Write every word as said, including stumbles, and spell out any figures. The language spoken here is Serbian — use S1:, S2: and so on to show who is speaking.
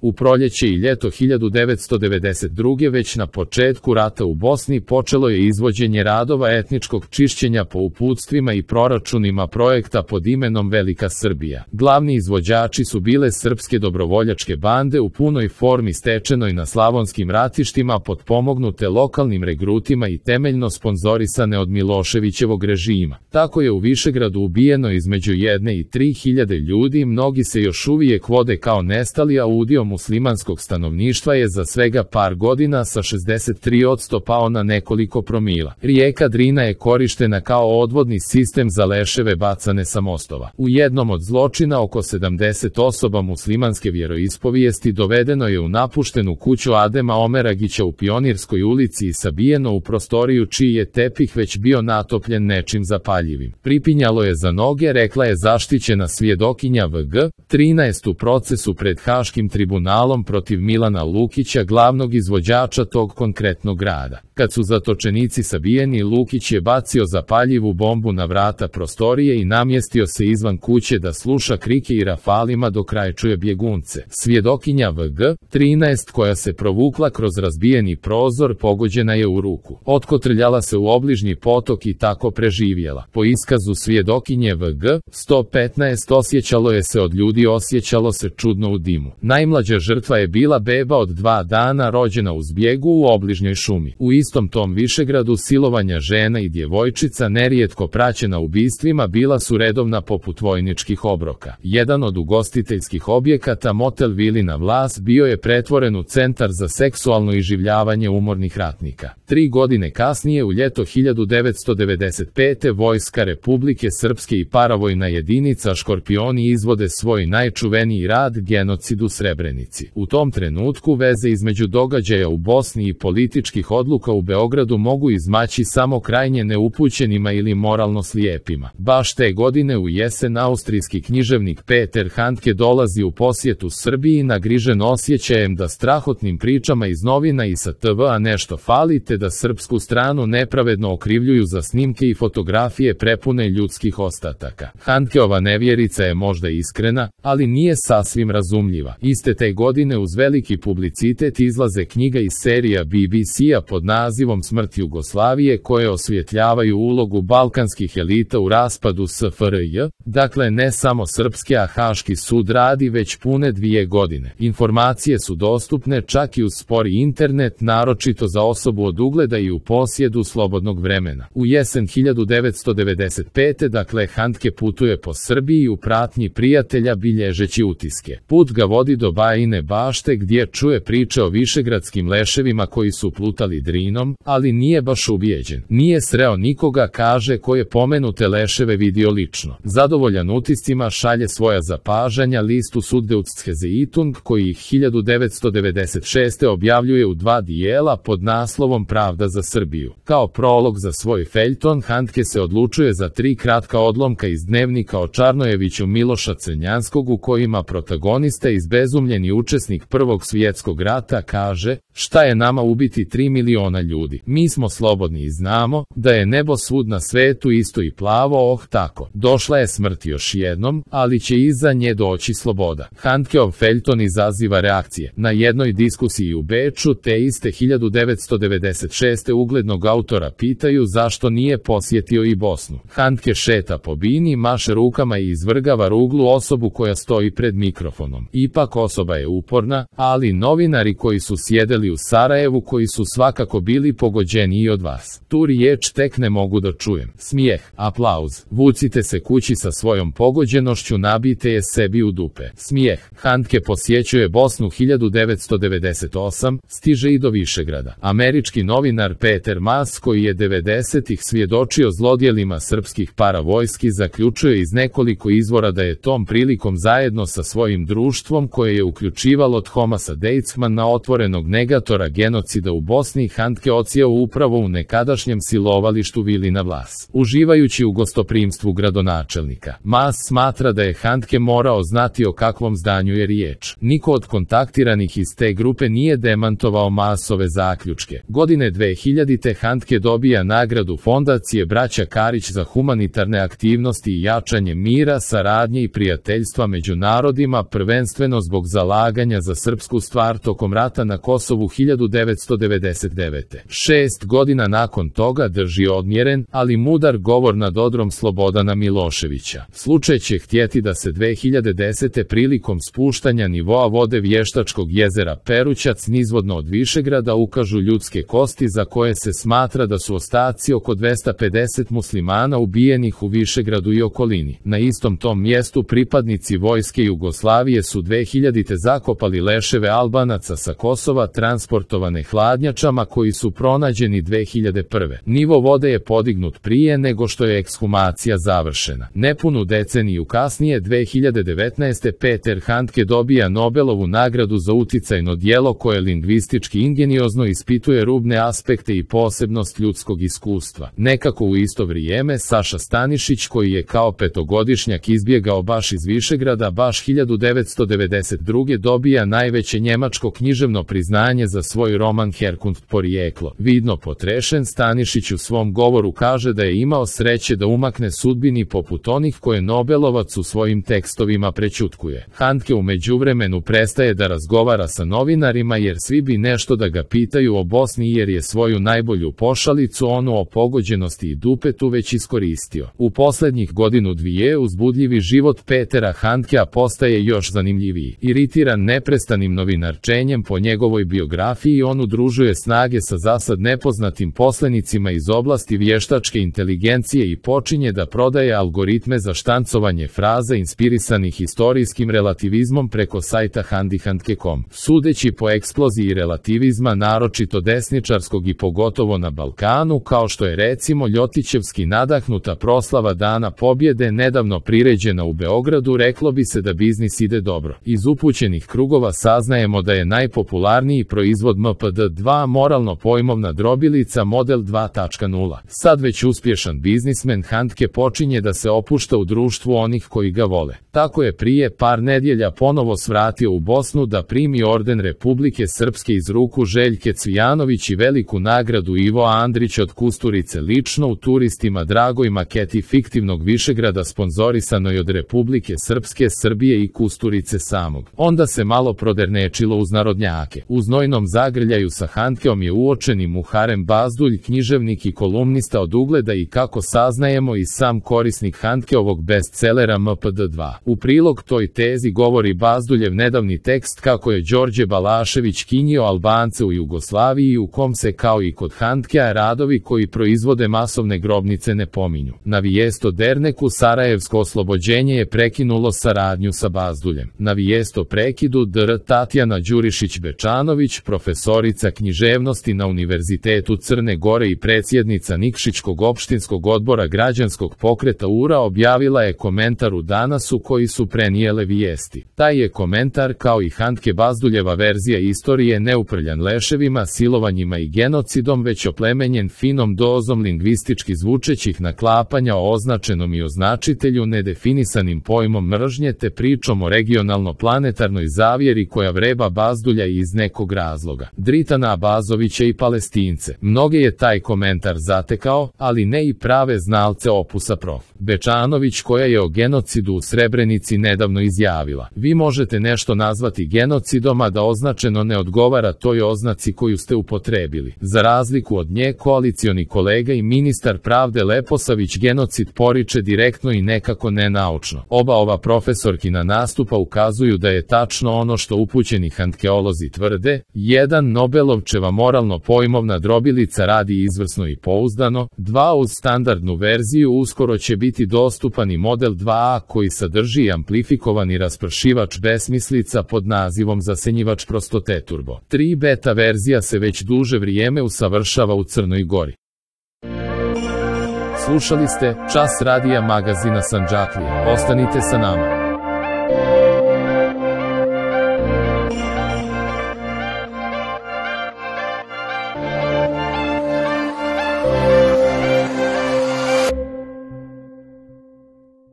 S1: U proljeće i ljeto hiljadu devetsto devedeset druge. već na početku rata u Bosni počelo je izvođenje radova etničkog čišćenja po uputstvima i proračunima projekta pod imenom Velika Srbija. Glavni izvođači su bile srpske dobrovoljačke bande u punoj formi stečenoj na slavonskim ratištima potpomognute lokalnim regrutima i temeljno sponzorisane od Miloševićevog režima. Tako je u Višegradu ubijeno između jedne i tri hiljade ljudi, mnogi se još uvijek vode kao nestali, a udio muslimanskog stanovništva je za svega par godina sa šezdeset tri posto pao na nekoliko promila. Rijeka Drina je korištena kao odvodni sistem za leševe bacane sa mostova. U jednom od zločina oko sedamdeset osoba muslimanske vjeroispovijesti dovedeno je u napuštenu kuću Adema Omeragića u Pionirskoj ulici i sabijeno u prostoriju čiji je tepih već bio natopljen nečim zapaljivim. Pripinjalo je za noge, rekla je zaštićena svjedokinja V G trinaest u procesu pred Haškim tribunalom protiv Milana Lukića, glavnog izvođača tog konkretnog rada. Kad su zatočenici sabijeni, Lukić je bacio zapaljivu bombu na vrata prostorije i namjestio se izvan kuće da sluša krike i rafalima dok čuje bjegunce. Svjedokinja V G trinaest koja se provukla kroz razbijeni prozor pogođena je u ruku. Otkotrljala se u obližnji potok i tako preživjela. Po iskazu svjedokinje V G sto petnaest osjećalo je se od ljudi, osjećalo se čudno u dimu. Najmlađa žrtva je bila beba od dva dana rođena u zbjegu u obližnjoj šumi. U istom tom Višegradu silovanja žena i djevojčica, nerijetko praćena ubistvima, bila su redovna poput vojničkih obroka. Jedan od ugostiteljskih objekata, motel Vilina Vlas, bio je pretvoren u centar za seksualno iživljavanje umornih ratnika. Tri godine kasnije, u ljeto hiljadu devetsto devedeset pete. Vojska Republike Srpske i paravojna jedinica Škorpioni izvode svoj najčuveniji rad, genocid u Srebrenici. U tom trenutku veze između događaja u Bosni i političkih odluka u Beogradu mogu izmaći samo krajnje neupućenima ili moralno slijepima. Baš te godine u jesen austrijski književnik Peter Handke dolazi u posjetu Srbiji, nagrižen osjećajem da strahotnim pričama iz novina i sa te ve a nešto fali, te da srpsku stranu nepravedno okrivljuju za snimke i fotografije prepune ljudskih ostataka. Handkeova nevjerica je možda iskrena, ali nije sasvim razumljiva. Iste te godine uz veliki publicitet izlaze knjiga iz serija B B C-a pod nazivom Smrt Jugoslavije, koje osvjetljavaju ulogu balkanskih elita u raspadu S F R J, dakle ne samo srpske, a Haški sud radi već pune dvije godine. Informacije su dostupne čak i uz spori internet, naročito za osobu od ugleda i u posjedu slobodnog vremena. U jesen hiljadu devetsto devedeset pete. dakle Handke putuje po Srbiji u pratnji prijatelja bilježeći utiske. Put ga vodi do Bajine Bašte gdje čuje priče o višegradskim leševima koji su plutali Drinom, ali nije baš ubijeđen. Nije sreo nikoga, kaže, ko je pomenute leševe vidio lično. Zadovoljan utiscima šalje svoja zapažanja listu Süddeutsche Zeitung, koji ih hiljadu devetsto devedeset šeste. objavljuje u dva dijela pod naslovom Pravda za Srbiju. Kao prolog za svoj feljton, Handke se odlučuje za tri kratka odlomka iz dnevnika o Čarnojeviću Miloša Crnjanskog, u kojima protagonista, izbezumljeni učesnik Prvog svjetskog rata, kaže: šta je nama ubiti tri miliona ljudi? Mi smo slobodni i znamo da je nebo svud na svetu isto i plavo, oh tako. Došla je smrt još jednom, ali će iza nje doći sloboda. Handkeov feljton izaziva reakcije. Na jednoj diskusiji u Beču te iste hiljadu devetsto devedeset šeste. uglednog autora pitaju zašto nije posjetio i Bosnu. Handke šeta po bini, maše rukama i izvrgava ruglu osobu koja stoji pred mikrofonom. Ipak osoba je uporna, ali novinari koji su sjedeli u Sarajevu, koji su svakako bili pogođeniji od vas. Tu riječ tek ne mogu da čujem. Smijeh, aplauz. Vucite se kući sa svojom pogođenošću, nabijte je sebi u dupe. Smijeh. Handke posjećuje Bosnu hiljadu devetsto devedeset osme. stiže i do Višegrada. Američki novinar Peter Maas, koji je devedesetih svjedočio zlodjelima srpskih paravojski, zaključuje iz nekoliko izvora da je tom prilikom zajedno sa svojim društvom, koje je uključivalo Thomasa Deitzmana, otvorenog negatora genocida u Bosni, Handke Handke odsjeo upravo u nekadašnjem silovalištu Vilina Vlas. Uživajući u gostoprimstvu gradonačelnika, Maas smatra da je Handke morao znati o kakvom zdanju je riječ. Niko od kontaktiranih iz te grupe nije demantovao Maasove zaključke. Godine dve hiljadite Handke dobija nagradu Fondacije Braća Karić za humanitarne aktivnosti i jačanje mira, saradnje i prijateljstva među narodima, prvenstveno zbog zalaganja za srpsku stvar tokom rata na Kosovu hiljadu devetsto devedeset devete. Šest godina nakon toga drži odmjeren, ali mudar govor nad odrom Slobodana Miloševića. Slučaj će htjeti da se dve hiljade desete prilikom spuštanja nivoa vode Vještačkog jezera Perućac nizvodno od Višegrada ukažu ljudske kosti za koje se smatra da su ostaci oko dvesta pedeset muslimana ubijenih u Višegradu i okolini. Na istom tom mjestu pripadnici vojske Jugoslavije su dve hiljadite zakopali leševe Albanaca sa Kosova transportovane hladnjačama koji su pronađeni dve hiljade prve. Nivo vode je podignut prije nego što je ekshumacija završena. Nepunu deceniju kasnije dve hiljade devetnaeste. Peter Handke dobija Nobelovu nagradu za uticajno djelo koje lingvistički ingeniozno ispituje rubne aspekte i posebnost ljudskog iskustva. Nekako u isto vrijeme Saša Stanišić, koji je kao petogodišnjak izbjegao baš iz Višegrada, baš hiljadu devetsto devedeset druge dobija najveće njemačko književno priznanje za svoj roman Herkunft porijeklo. Vidno potrešen, Stanišić u svom govoru kaže da je imao sreće da umakne sudbini poput onih koje Nobelovac u svojim tekstovima prećutkuje. Handke u međuvremenu prestaje da razgovara sa novinarima jer svi bi nešto da ga pitaju o Bosni jer je svoju najbolju pošalicu, onu o pogođenosti i dupetu, već iskoristio. U posljednjih godinu dvije uzbudljivi život Petera Handkea postaje još zanimljiviji. Iritiran neprestanim novinarčenjem po njegovoj biografiji, on udružuje snage sa zasad nepoznatim poslenicima iz oblasti vještačke inteligencije i počinje da prodaje algoritme za štancovanje fraza inspirisanih istorijskim relativizmom preko sajta handyhandke dot com. Sudeći po eksploziji relativizma, naročito desničarskog i pogotovo na Balkanu, kao što je recimo Ljotićevski nadahnuta proslava Dana pobjede nedavno priređena u Beogradu, reklo bi se da biznis ide dobro. Iz upućenih krugova saznajemo da je najpopularniji proizvod M P D dva moralno pojmovna drobilica model dva točka nula. Sad već uspješan biznismen Handke počinje da se opušta u društvu onih koji ga vole. Tako je prije par nedjelja ponovo svratio u Bosnu da primi orden Republike Srpske iz ruku Željke Cvijanović i veliku nagradu Ivo Andrić od Kusturice lično u turistima dragoj maketi fiktivnog Višegrada sponzorisanoj od Republike Srpske, Srbije i Kusturice samog. Onda se malo prodernečilo uz narodnjake. U znojnom zagrljaju sa Handkeom je uočeni Muharem Bazdulj, književnik i kolumnista od ugleda i kako saznajemo i sam korisnik Handkeovog bestselera M P D dva. U prilog toj tezi govori Bazduljev nedavni tekst kako je Đorđe Balašević kinjio Albance u Jugoslaviji, u kom se kao i kod Handkea radovi koji proizvode masovne grobnice ne pominju. Na vijest o Derneku Sarajevsko oslobođenje je prekinulo saradnju sa Bazduljem. Na vijest o prekidu dr Tatjana Đurišić-Bečanović, profesorica književnosti na Univerzitetu Crne Gore i predsjednica Nikšićkog opštinskog odbora građanskog pokreta U R A, objavila je komentar u Danasu koji su prenijele vijesti. Taj je komentar, kao i Handke Bazduljeva verzija istorije, neuprljan leševima, silovanjima i genocidom, već oplemenjen finom dozom lingvistički zvučećih naklapanja o označenom i označitelju, nedefinisanim pojmom mržnje te pričom o regionalno-planetarnoj zavjeri koja vreba Bazdulja iz nekog razloga. Dritana Abazovića i Palestince. Mnoge je taj komentar zatekao, ali ne i prave znalce opusa prof. Bečanović, koja je o genocidu u Srebrenici nedavno izjavila: vi možete nešto nazvati genocidom, a da označeno ne odgovara toj oznaci koju ste upotrebili. Za razliku od nje, koalicioni kolega i ministar pravde Leposavić genocid poriče direktno i nekako nenaučno. Oba ova profesorkina nastupa ukazuju da je tačno ono što upućeni handkeolozi tvrde: jedan Nobelovčeva moralno pojmovna drobilica radi izvrsno i pouzdano, dva uz standardnu verziju uskoro će biti dostupan i model dva A koji sadrži amplifikovani raspršivač besmislica pod nazivom zasenjivač prostote turbo. tri beta verzija se već duže vrijeme usavršava u Crnoj Gori. Slušali ste Čas radija magazina Sandžaklije. Ostanite sa nama.